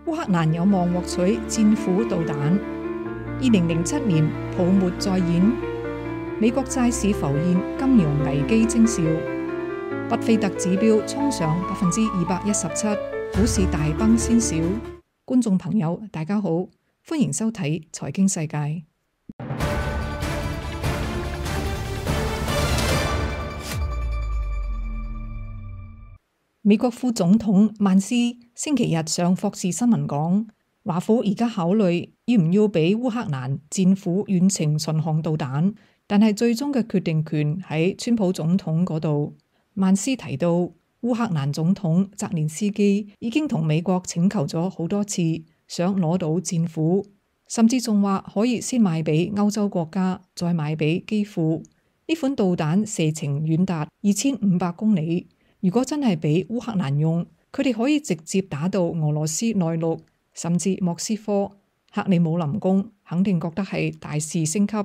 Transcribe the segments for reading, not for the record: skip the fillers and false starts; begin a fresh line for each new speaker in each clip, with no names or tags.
烏克蘭有望獲取戰斧導彈。2007年泡沫再現，美國債市浮現金融危機徵兆，巴菲特指標衝上217%，股市大崩先兆。觀眾朋友大家好，歡迎收睇財經世界。美國副總統曼斯星期日上霍士新聞講，華府而家考慮要唔要俾烏克蘭戰斧遠程巡航導彈，但係最終嘅決定權喺川普總統嗰度。曼斯提到，烏克蘭總統澤連斯基已經同美國請求咗好多次，想攞到戰斧，甚至仲話可以先賣俾歐洲國家，再賣俾基輔。呢款導彈射程遠達2500公里。如果真係俾烏克蘭用，佢哋可以直接打到俄羅斯內陸，甚至莫斯科。克里姆林宮肯定覺得係大事升級。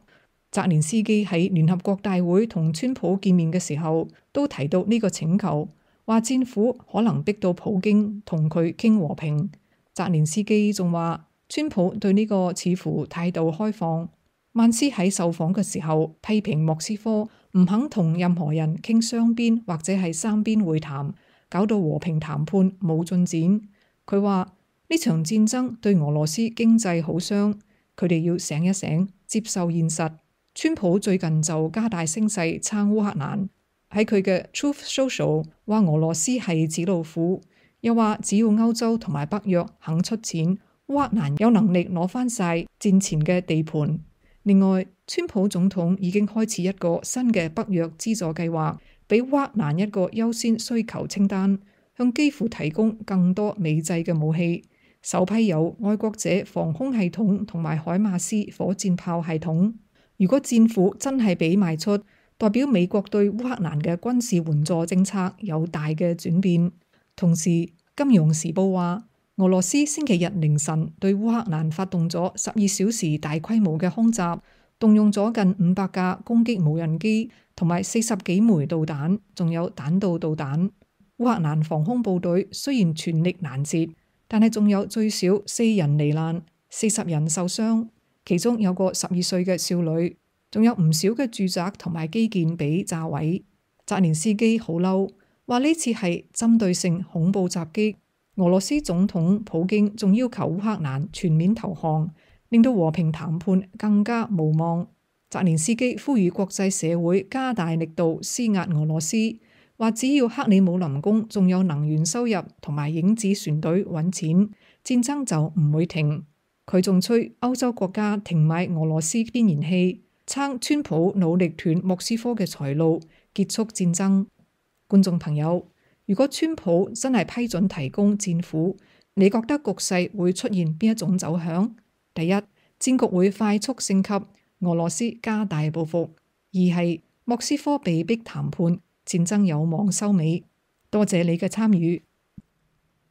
澤連斯基喺聯合國大會同川普見面嘅時候，都提到呢個請求，話戰斧可能逼到普京同佢傾和平。澤連斯基仲話，川普對呢個似乎態度開放。曼斯喺受訪嘅時候批評莫斯科唔肯同任何人傾雙邊或者係三邊會談，搞到和平談判冇進展。佢話呢場戰爭對俄羅斯經濟好傷，佢哋要醒一醒，接受現實。川普最近就加大聲勢撐烏克蘭，喺佢嘅 Truth Social 話俄羅斯係紙老虎，又話只要歐洲同埋北約肯出錢，烏克蘭有能力攞翻晒戰前嘅地盤。另外，川普總統已經開始一個新嘅北約資助計劃，俾烏克蘭一個優先需求清單，向基輔提供更多美製嘅武器。首批有愛國者防空系統同埋海馬斯火箭炮系統。如果戰斧真係俾賣出，代表美國對烏克蘭嘅軍事援助政策有大嘅轉變。同時，《金融時報》話，俄羅斯星期日凌晨對烏克蘭發動咗12小時大規模嘅空襲，動用咗近500架攻擊無人機同埋40幾枚導彈，仲有彈道導彈。烏克蘭防空部隊雖然全力攔截，但係仲有最少4人罹難，40人受傷，其中有個12歲嘅少女，仲有唔少嘅住宅同埋基建被炸毀。澤連斯基好嬲，話呢次係針對性恐怖襲擊。俄羅斯總統普京仲要求烏克蘭全面投降，令到和平談判更加無望。澤連斯基呼籲國際社會加大力度施壓俄羅斯，話只要克里姆林宮仲有能源收入同埋影子船隊揾錢，戰爭就唔會停。佢仲催歐洲國家停買俄羅斯天然氣，撐川普努力斷莫斯科嘅財路，結束戰爭。觀眾朋友，如果川普真係批准提供戰斧，你覺得局勢會出現邊一種走向？第一，戰局會快速升級，俄羅斯加大報復；二係莫斯科被逼談判，戰爭有望收尾。多謝你嘅參與。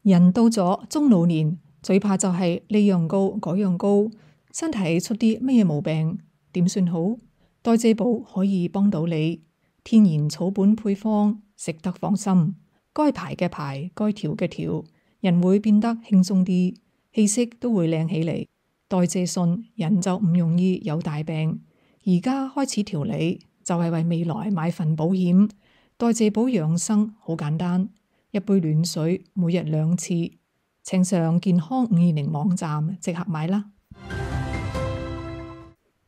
人到咗中老年，最怕就係呢樣高嗰樣高，身體出啲咩毛病，點算好？代謝寶可以幫到你，天然草本配方，食得放心。該排嘅排，該調嘅調，人會變得輕鬆啲，氣色都會靚起嚟。代謝順，人就唔容易有大病。而家開始調理，就係為未來買份保險。代謝寶養生好簡單，一杯暖水，每日2次。請上健康520網站即刻買啦。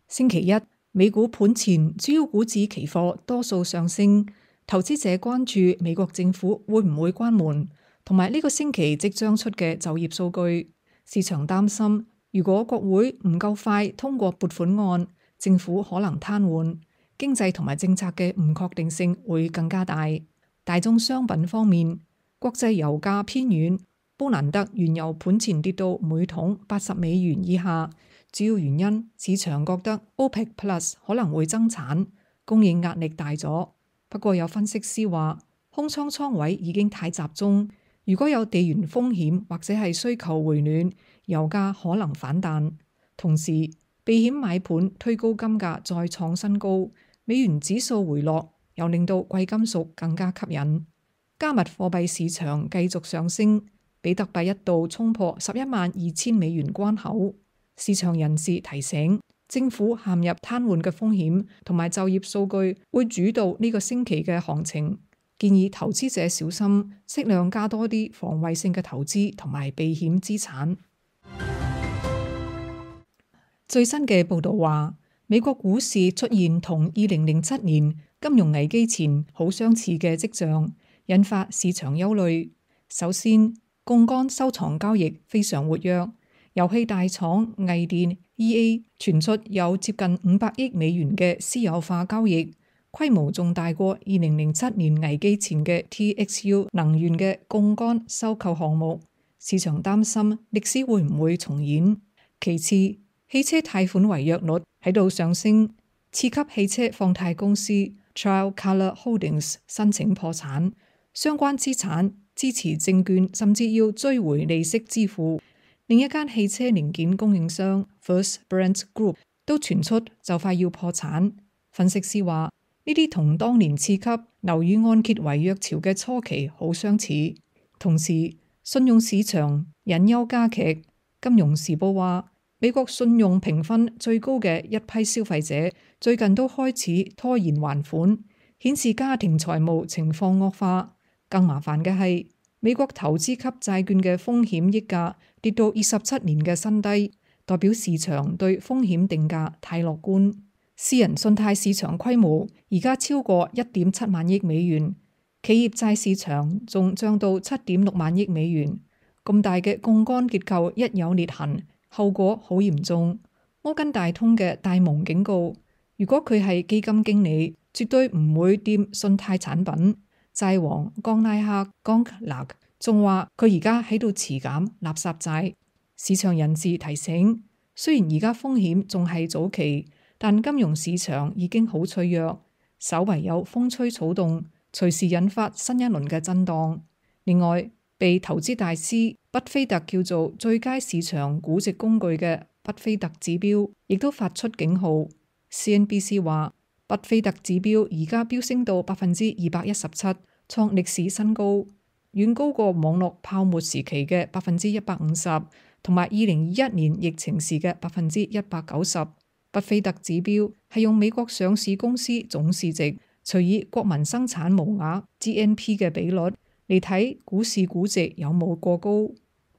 星期一，美股盤前主要股指期貨多數上升。投資者關注美國政府會唔會關門，同埋呢個星期即將出嘅就業數據。市場擔心，如果國會唔夠快通過撥款案，政府可能癱瘓，經濟同埋政策嘅唔確定性會更加大。大宗商品方面，國際油價偏軟，布蘭特原油盤前跌到每桶80美元以下，主要原因市場覺得 OPEC Plus 可能會增產，供應壓力大咗。不過有分析師話，空倉位已經太集中，如果有地緣風險或者係需求回暖，油價可能反彈。同時，避險買盤推高金價再創新高，美元指數回落，又令到貴金屬更加吸引。加密貨幣市場繼續上升，比特幣一度衝破112000美元關口。市場人士提醒，政府陷入癱瘓嘅風險同埋就業數據會主導呢個星期嘅行情，建議投資者小心，適量加多啲防衛性嘅投資同埋避險資產。最新嘅報導話，美國股市出現同2007年金融危機前好相似嘅跡象，引發市場憂慮。首先，槓桿收藏交易非常活躍，遊戲大廠藝電 EA 傳出有接近500億美元嘅私有化交易，規模仲大過2007年危機前嘅 TXU 能源嘅槓桿收購項目。市場擔心歷史會唔會重演。其次，汽車貸款違約率喺度上升，次級汽車放貸公司 Tricolor Holdings 申請破產，相關資產支持證券甚至要追回利息支付。另一間汽車零件供應商 First Brands Group 都傳出就快要破產。分析師話，呢啲同當年次級樓宇按揭違約潮嘅初期好相似。同時，信用市場隱憂加劇。金融時報話，美國信用評分最高嘅一批消費者最近都開始拖延還款，顯示家庭財務情況惡化。更麻煩嘅係，美國投資級債券嘅風險溢價跌到27年嘅新低，代表市場對風險定價太樂觀。私人信貸市場規模而家超過1.7萬億美元，企業債市場仲漲到7.6萬億美元。咁大嘅槓桿結構一有裂痕，後果好嚴重。摩根大通嘅戴蒙警告，如果佢係基金經理，絕對唔會掂信貸產品。債王岡拉克岡勒仲話佢而家喺度持減垃圾債。市場人士提醒，雖然而家風險仲係早期，但金融市場已經好脆弱，稍為有風吹草動，隨時引發新一輪嘅震盪。另外，被投資大師畢菲特叫做最佳市場估值工具嘅畢菲特指標，亦都發出警號。CNBC 話，畢菲特指標而家飆升到217%，創歷史新高，遠高過網絡泡沫時期嘅150%，同埋2021年疫情時嘅190%。畢菲特指標係用美國上市公司總市值除以國民生產毛額 GNP 嘅比率嚟睇股市估值有冇過高。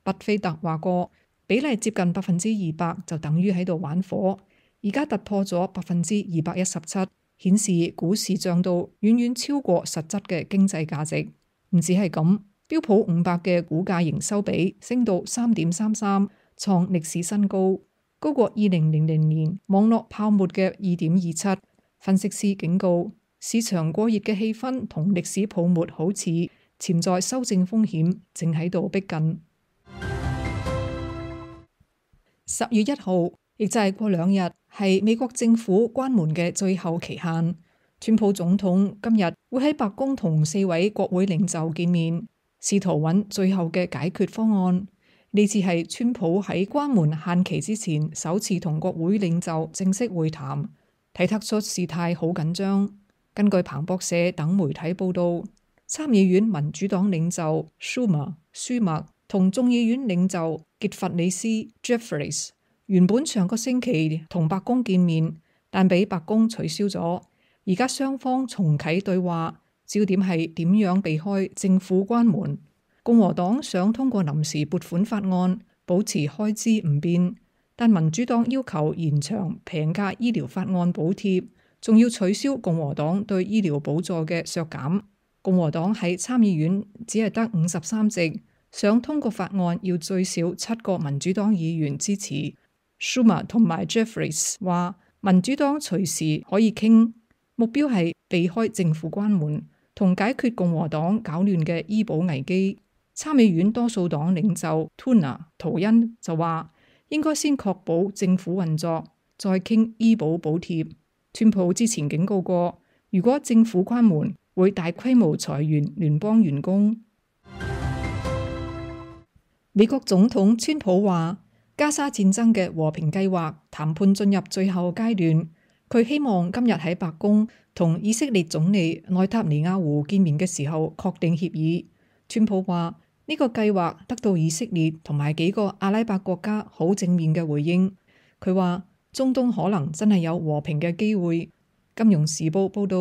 畢菲特話過，比例接近200%就等於喺度玩火，而家突破咗217%，顯示股市漲到遠遠超過實質嘅經濟價值。唔止係咁，標普500嘅股價營收比升到3.33，創歷史新高，高過2000年網絡泡沫嘅2.27。分析師警告，市場過熱嘅氣氛同歷史泡沫好似，潛在修正風險正喺度逼近。10月1號，亦就係過2日，係美國政府關門嘅最後期限。川普總統今日會喺白宮同4位國會領袖見面，試圖揾最後嘅解決方案。呢次係川普喺關門限期之前首次同國會領袖正式會談，睇得出事態好緊張。根據彭博社等媒體報道，參議院民主黨領袖舒默同眾議院領袖傑弗里斯 Jeffries 原本上個星期同白宮見面，但被白宮取消咗。而家雙方重啟對話，焦點係點樣避開政府關門。共和黨想通過臨時撥款法案保持開支唔變，但民主黨要求延長平價醫療法案補貼，仲要取消共和黨對醫療補助嘅削減。共和黨喺參議院只係得53席，想通過法案要最少7個民主黨議員支持。Schumer 同埋 Jeffries 話，民主黨隨時可以傾，目標係避開政府關門同解決共和黨搞亂嘅醫保危機。參議院多數黨領袖圖恩就話，應該先確保政府運作，再傾醫保補貼。川普之前警告過，如果政府關門，會大規模裁員聯邦員工。美國總統川普話，加沙戰爭嘅和平計劃談判進入最後階段，佢希望今日喺白宮同以色列總理內塔尼亞胡見面嘅時候確定協議。川普話，呢個計劃得到以色列同埋幾個阿拉伯國家好正面嘅回應。佢話中東可能真係有和平嘅機會。金融時報報道，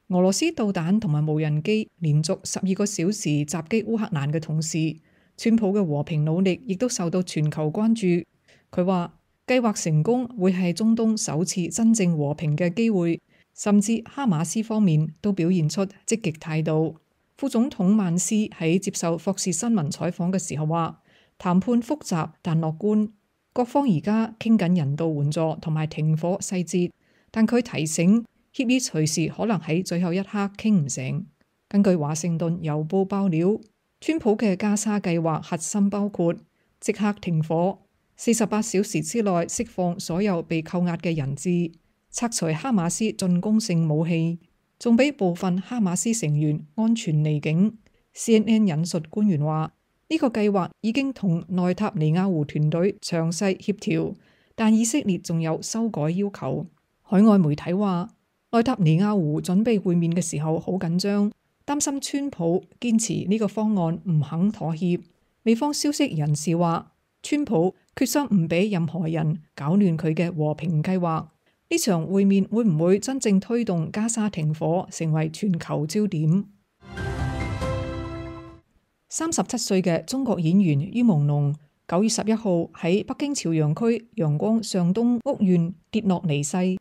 俄羅斯導彈同埋無人機連續12個小時襲擊烏克蘭嘅同時，川普嘅和平努力亦都受到全球關注。佢話計劃成功會係中東首次真正和平嘅機會，甚至哈馬斯方面都表現出積極態度。副總統曼斯喺接受霍士新聞採訪嘅時候話，談判複雜但樂觀，各方而家傾緊人道援助同埋停火細節，但佢提醒協議隨時可能喺最後一刻傾唔成。根據華盛頓郵報爆料，川普嘅加沙計劃核心包括即刻停火、48小時之內釋放所有被扣押嘅人質、拆除哈馬斯進攻性武器，仲俾部分哈馬斯成員安全離境。CNN 引述官員話，呢個計劃已經同內塔尼亞胡團隊詳細協調，但以色列仲有修改要求。海外媒體話，內塔尼亞胡準備會面嘅時候好緊張，擔心川普堅持呢個方案唔肯妥協。美方消息人士話，川普決心唔俾任何人搞亂佢嘅和平計劃。呢場會面會唔會真正推動加沙停火，成為全球焦點？37歲嘅中國演員于朦朧9月11號喺北京朝陽區陽光上東屋苑跌落離世。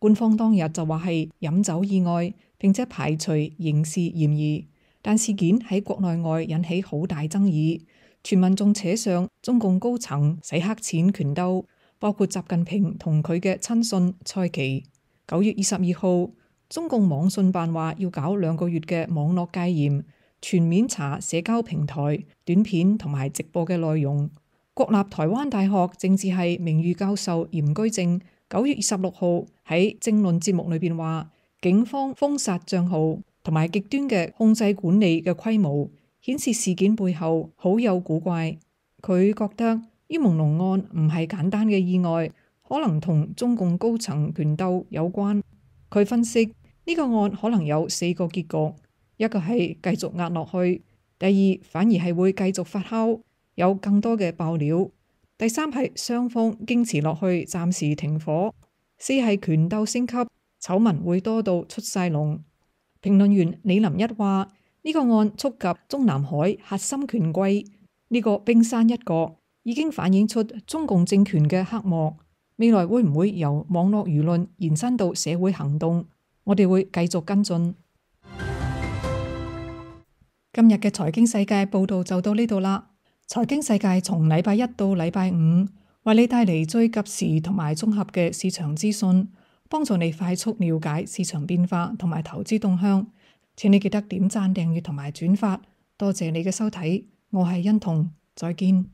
官方當日就話係飲酒意外，並且排除刑事嫌疑，但事件喺國內外引起好大爭議，傳聞仲扯上中共高層洗黑錢權鬥，包括習近平同佢嘅親信蔡奇。9月22號，中共網信辦話要搞2個月嘅網絡戒嚴，全面查社交平台、短片同埋直播嘅內容。國立台灣大學政治系名譽教授嚴居正9月26號喺政論節目裏邊話，警方封殺賬號同埋極端嘅控制管理嘅規模，顯示事件背後好有古怪。佢覺得于朦朧案唔係簡單嘅意外，可能同中共高層權鬥有關。佢分析呢個案可能有4個結局，一個係繼續壓落去，第二反而係會繼續發酵，有更多嘅爆料，第三係雙方堅持落去，暫時停火，四係權鬥升級，醜聞會多到出晒籠。評論員李林一話，呢個案觸及中南海核心權貴，呢個冰山一角已經反映出中共政權嘅黑幕，未來會唔會由網絡輿論延伸到社會行動？我哋會繼續跟進。今日嘅財經世界報道就到呢度啦。財經世界從禮拜一到禮拜五，為你帶嚟最及時同埋綜合嘅市場資訊，幫助你快速了解市場變化同埋投資動向。請你記得點讚、訂閱同埋轉發。多謝你嘅收睇，我係欣彤，再見。